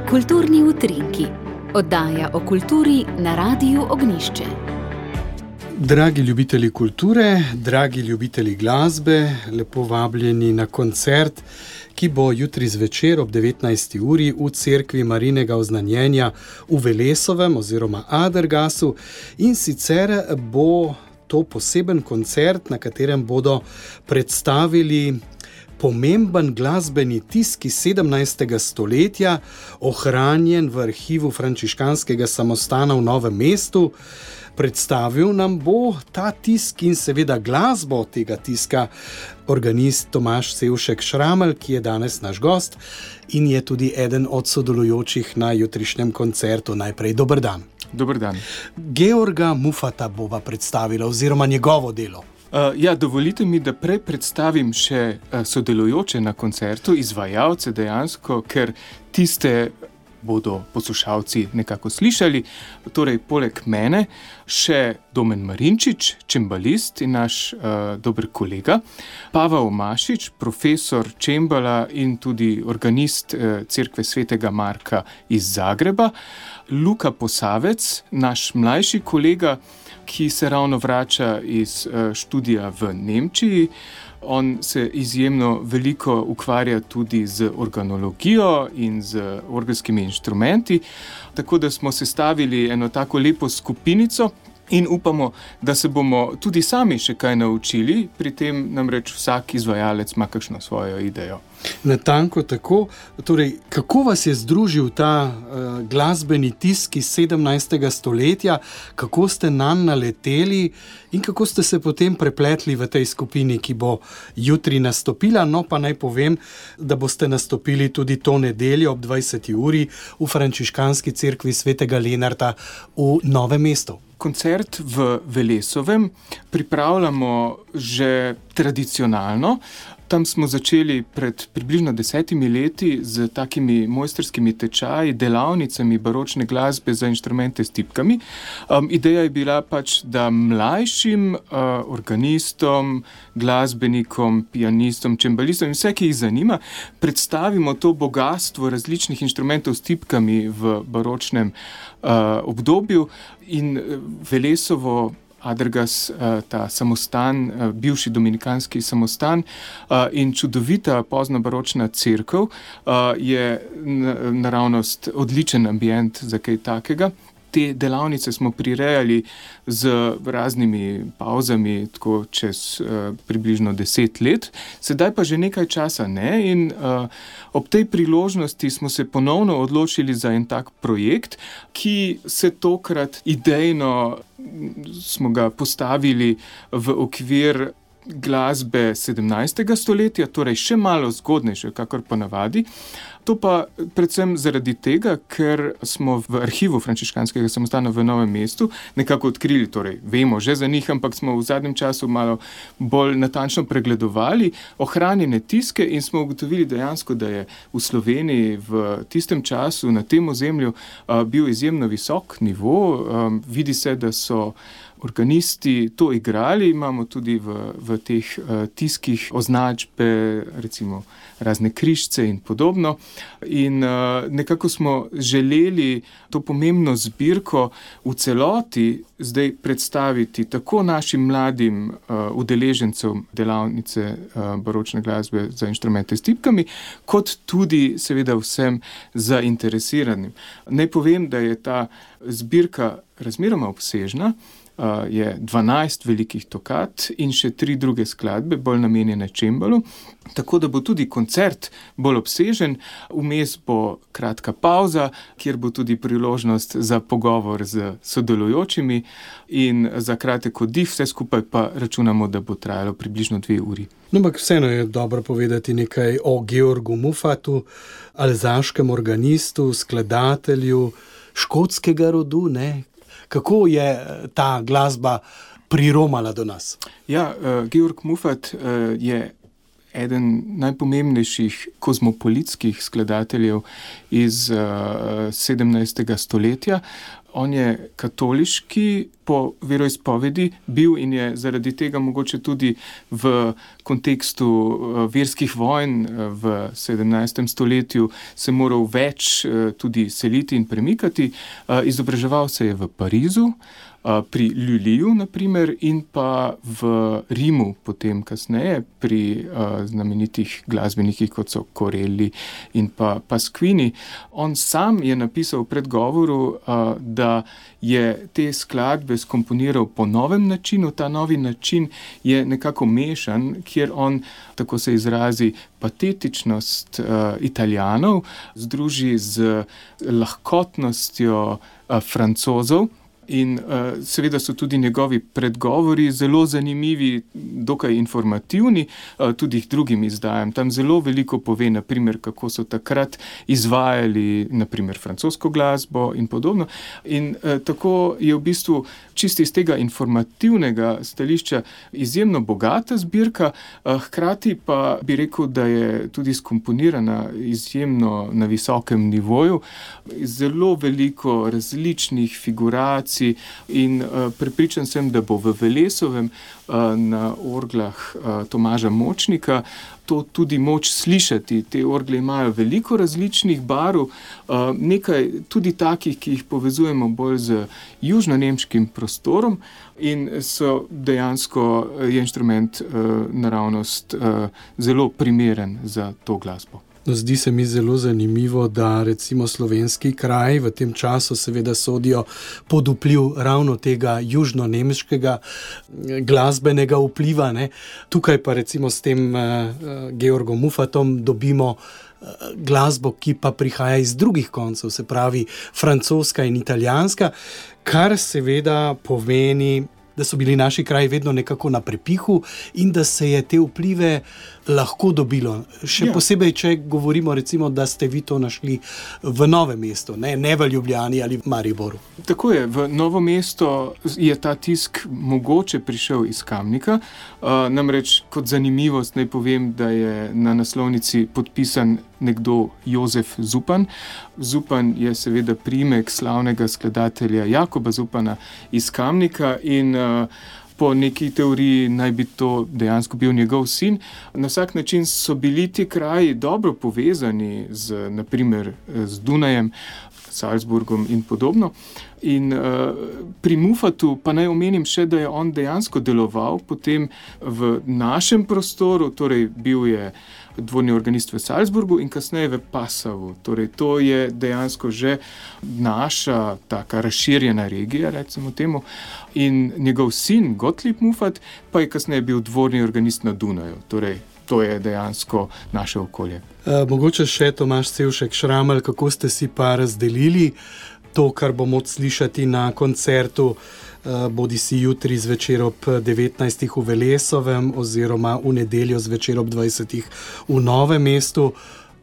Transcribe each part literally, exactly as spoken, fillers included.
Kulturni utrinki, oddaja o kulturi na Radiu Ognjišče. Dragi ljubitelji kulture, dragi ljubitelji glasbe, lepo vabljeni na koncert, ki bo jutri zvečer ob devetnajsti uri v cerkvi Marijinega oznanjenja v Velesovem oziroma Adergasu, in sicer bo to poseben koncert, na katerem bodo predstavili pomemben glasbeni tisk iz sedemnajstega stoletja, ohranjen v arhivu frančiškanskega samostana v Novem mestu. Predstavil nam bo ta tisk in seveda glasbo tega tiska organist Tomaž Sevšek Šramelj, ki je danes naš gost in je tudi eden od sodelujočih na jutrišnjem koncertu. Najprej dober dan. Dober dan. Georga Muffata bova predstavila oziroma njegovo delo. Uh, ja, dovolite mi, da prej predstavim še uh, sodelujoče na koncertu, izvajalce dejansko, ker tiste bodo poslušalci nekako slišali. Torej, poleg mene še Domen Marinčič, čembalist in naš uh, dober kolega, Pavel Mašič, profesor čembala in tudi organist uh, cerkve Svetega Marka iz Zagreba, Luka Posavec, naš mlajši kolega, ki se ravno vrača iz študija v Nemčiji. On se izjemno veliko ukvarja tudi z organologijo in z orgelskimi inštrumenti, tako da smo sestavili eno tako lepo skupinico in upamo, da se bomo tudi sami še kaj naučili, pri tem namreč vsak izvajalec ima kakšno svojo idejo. Natanko tako. Torej, kako vas je združil ta uh, glasbeni tisk iz sedemnajstega stoletja, kako ste nanj naleteli in kako ste se potem prepletli v tej skupini, ki bo jutri nastopila? No, pa naj povem, da boste nastopili tudi to nedeljo ob dvajseti uri v frančiškanski cerkvi Svetega Lenarta v Novem mestu. Koncert v Velesovem pripravljamo že tradicionalno. Tam smo začeli pred približno desetimi leti z takimi mojstrskimi tečaji, delavnicami baročne glasbe za inštrumente s tipkami. Um, ideja je bila pač, da mlajšim uh, organistom, glasbenikom, pianistom, čembalistom in vse, ki jih zanima, predstavimo to bogatstvo različnih inštrumentov s tipkami v baročnem uh, obdobju. In Velesovo, Adergas, ta samostan, bivši dominikanski samostan in čudovita poznobaročna cerkev je naravnost odličen ambient za kaj takega. Te delavnice smo prirejali z raznimi pavzami, tako čez uh, približno deset let, sedaj pa že nekaj časa ne, in uh, ob tej priložnosti smo se ponovno odločili za en tak projekt, ki se tokrat idejno smo ga postavili v okvir glasbe sedemnajstega stoletja, torej še malo zgodnejše, kakor ponavadi. To pa predvsem zaradi tega, ker smo v arhivu frančiškanskega samostana v Novem mestu nekako odkrili, torej vemo že za njih, ampak smo v zadnjem času malo bolj natančno pregledovali ohranjene tiske in smo ugotovili dejansko, da je v Sloveniji v tistem času na tem ozemlju uh, bil izjemno visok nivo. Um, vidi se, da so organisti to igrali, imamo tudi v, v teh uh, tiskih označbe, recimo razne križce in podobno. In uh, nekako smo želeli to pomembno zbirko v celoti zdaj predstaviti tako našim mladim uh, udeležencem delavnice uh, baročne glasbe za inštrumente s tipkami, kot tudi seveda vsem zainteresiranim. Naj povem, da je ta zbirka razmeroma obsežna. Uh, je dvanajst velikih tokat in še tri druge skladbe, bolj namenjene čembalu, tako da bo tudi koncert bolj obsežen. Vmes bo kratka pavza, kjer bo tudi priložnost za pogovor z sodelujočimi in za kratek oddih, vse skupaj pa računamo, da bo trajalo približno dve uri. No, ampak vseeno je dobro povedati nekaj o Georgu Muffatu, alzaškem organistu, skladatelju škotskega rodu, ne? Kako je ta glasba priromala do nas? Ja, uh, Georg Muffat uh, je eden najpomembnejših kozmopolitskih skladateljev iz uh, sedemnajstega stoletja. On je katoliški po veroizpovedi bil in je zaradi tega mogoče tudi v kontekstu verskih vojn v sedemnajstem stoletju se moral več tudi seliti in premikati. Izobraževal se je v Parizu, pri Lullyju, naprimer, in pa v Rimu, potem kasneje, pri uh, znamenitih glasbenikih, kot so Corelli in pa Pasquini. On sam je napisal v predgovoru, uh, da je te skladbe skomponiral po novem načinu. Ta novi način je nekako mešan, kjer on, tako se izrazi, patetičnost uh, Italijanov združi z lahkotnostjo uh, Francozov. In uh, seveda so tudi njegovi predgovori zelo zanimivi, dokaj informativni, uh, tudi drugim izdajam. Tam zelo veliko pove, naprimer, kako so takrat izvajali naprimer francosko glasbo in podobno. In uh, tako je v bistvu čisto iz tega informativnega stališča izjemno bogata zbirka, uh, hkrati pa bi rekel, da je tudi skomponirana izjemno na visokem nivoju. Zelo veliko različnih figuracij in uh, prepričan sem, da bo v Velesovem uh, na orglah uh, Tomaža Močnika to tudi moč slišati. Te orgle imajo veliko različnih barv, uh, nekaj tudi takih, ki jih povezujemo bolj z južnonemškim prostorom in so dejansko je inštrument uh, naravnost uh, zelo primeren za to glasbo. No, zdi se mi zelo zanimivo, da recimo slovenski kraj v tem času seveda sodijo pod vpliv ravno tega južnonemškega glasbenega vpliva, ne. Tukaj pa recimo s tem uh, Georgom Muffatom dobimo uh, glasbo, ki pa prihaja iz drugih koncev, se pravi francoska in italijanska, kar seveda pomeni, da so bili naši kraji vedno nekako na prepihu in da se je te vplive lahko dobilo. Še ja. Posebej, če govorimo recimo, da ste vi to našli v Novem mestu, ne, ne v Ljubljani ali v Mariboru. Tako je, v Novo mesto je ta tisk mogoče prišel iz Kamnika. Uh, namreč kot zanimivost naj povem, da je na naslovnici podpisan nekdo Jozef Zupan. Zupan je seveda priimek slavnega skladatelja Jakoba Zupana iz Kamnika in uh, po neki teoriji naj bi to dejansko bil njegov sin. Na vsak način so bili ti kraji dobro povezani z, naprimer, z Dunajem, Salzburgom in podobno. In uh, pri Muffatu pa naj omenim še, da je on dejansko deloval potem v našem prostoru, torej bil je dvorni organist v Salzburgu in kasneje v Passavu. Torej to je dejansko že naša taka razširjena regija, recimo temu. In njegov sin Gottlieb Muffat pa je kasneje bil dvorni organist na Dunaju. Torej to je dejansko naše okolje. E, mogoče še Tomaž Sevšek Šramelj, kako ste si pa razdelili to, kar bo moč slišati na koncertu, bodi si jutri zvečer ob devetnajstih v Velesovem oziroma v nedeljo zvečer ob dvajsetih v Novem mestu.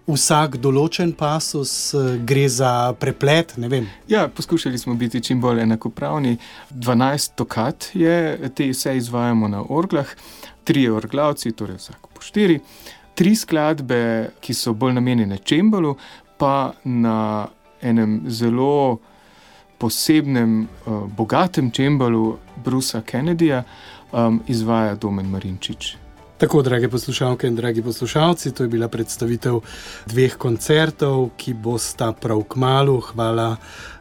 Vsak določen pasus, gre za preplet, ne vem. Ja, poskušali smo biti čim bolj enakopravni. dvanajst tokat je, te vse izvajamo na orglah, trije orglavci, torej vsako po štiri, tri skladbe, ki so bolj namenjene čembalu, pa na enem zelo posebnem, uh, bogatem čembalu Brucea Kennedyja um, izvaja Domen Marinčič. Tako, drage poslušalke in dragi poslušalci, to je bila predstavitev dveh koncertov, ki bosta prav kmalu. Hvala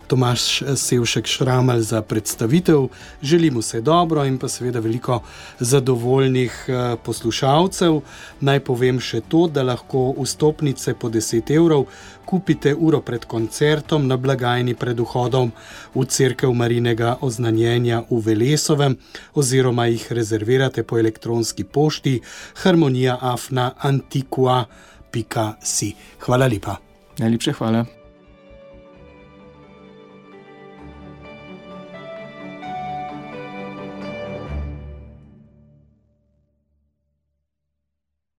Tomaž Sevšek Šramelj za predstavitev. Želim vse dobro in pa seveda veliko zadovoljnih poslušalcev. Naj povem še to, da lahko vstopnice po deset evrov kupite uro pred koncertom na blagajni pred vhodom v cerkev Marijinega oznanjenja v Velesovem oziroma jih rezervirate po elektronski pošti harmonija afna antiqua pika si. Hvala lepa. Najlepše hvala.